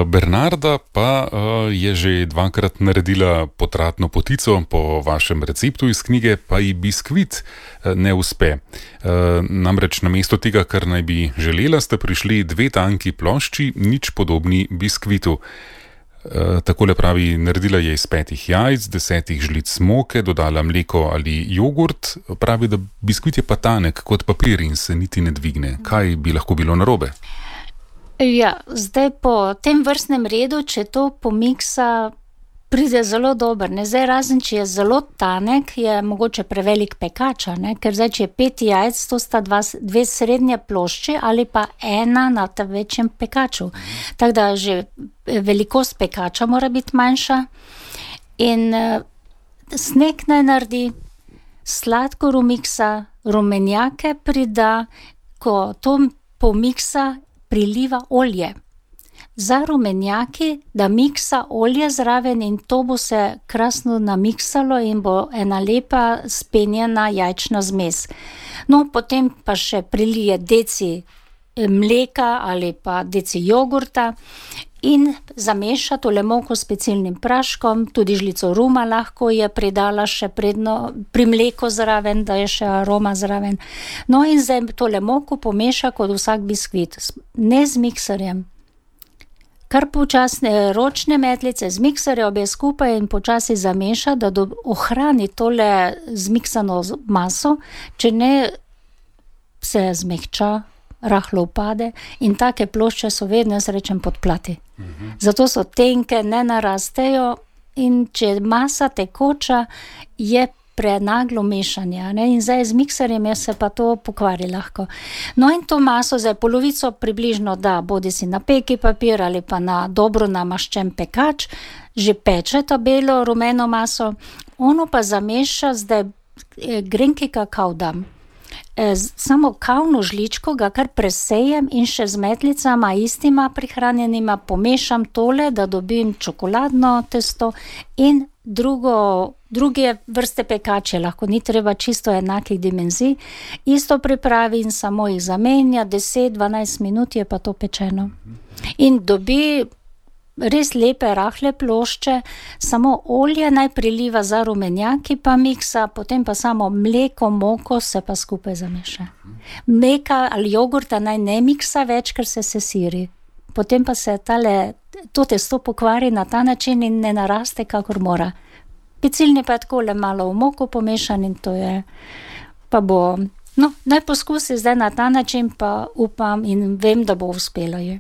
Bernarda pa je že dvakrat naredila potratno potico po vašem receptu iz knjige, pa ji biskvit ne uspe. Namreč namesto tega, kar naj bi želela, ste prišli 2 tanki plošči, nič podobni biskvitu. Takole pravi, naredila je iz 5 jajc, 10 žlic moke, dodala mleko ali jogurt. Pravi, da biskvit je pa tanek kot papir in se niti ne dvigne. Kaj bi lahko bilo narobe? Ja, zdaj po tem vrstnem redu, če to pomiksa, pride zelo dober. Zdaj, razen če je zelo tanek, je mogoče prevelik pekača, ker zdaj, če je 5 jajc, to sta 2 srednje plošče ali pa 1 na ta večjem pekaču. Tako da že velikost pekača mora biti manjša. In sneg naj naredi, sladkor umiksa, rumenjake prida, ko to pomiksa, priliva olje. Za rumenjaki, da miksa olje zraven in to bo se krasno namiksalo in bo ena lepa spenjena jajčna zmes. No, potem pa še prilije deci mleka ali pa deci jogurta in zameša tole moko s pecilnim praškom, tudi žlico ruma lahko je pridala še predno pri mleku zraven, da je še aroma zraven. No in zdaj tole moko pomeša kot vsak biskvit, ne z mikserjem. Kar počasne ročne metlice z mikserja obe skupaj in počasi zameša, da ohrani tole zmiksano maso, če ne se zmehča, rahlo upade in take plošče so vedno, jaz rečem, podplati. Zato so tenke, ne narastejo in če masa tekoča, je prenaglo mešanje. In zdaj z mikserjem se pa to pokvari lahko. No in to maso, zdaj polovico približno da, bodi si na peki papir ali pa na dobro namaščen pekač, že peče ta belo rumeno maso, ono pa zameša, zdaj grenki kakav dam. Samo kavno žličko ga kar presejem in še z metlicama istima prihranjenima pomešam tole, da dobim čokoladno testo in druge vrste pekače, lahko ni treba čisto enakih dimenzij, isto pripravi in samo jih zamenja, 10-12 minut je pa to pečeno. In dobi res lepe, rahle plošče, samo olje naj priliva za rumenjaki, pa miksa, potem pa samo mleko, moko se pa skupaj zameša. Mleka ali jogurta naj ne miksa več, ker se sesiri. Potem pa se to testo pokvari na ta način in ne naraste, kakor mora. Pecilni pa je takole malo v moko pomešan in to je, pa bo, no, naj poskusi zdaj na ta način, pa upam in vem, da bo uspelo je.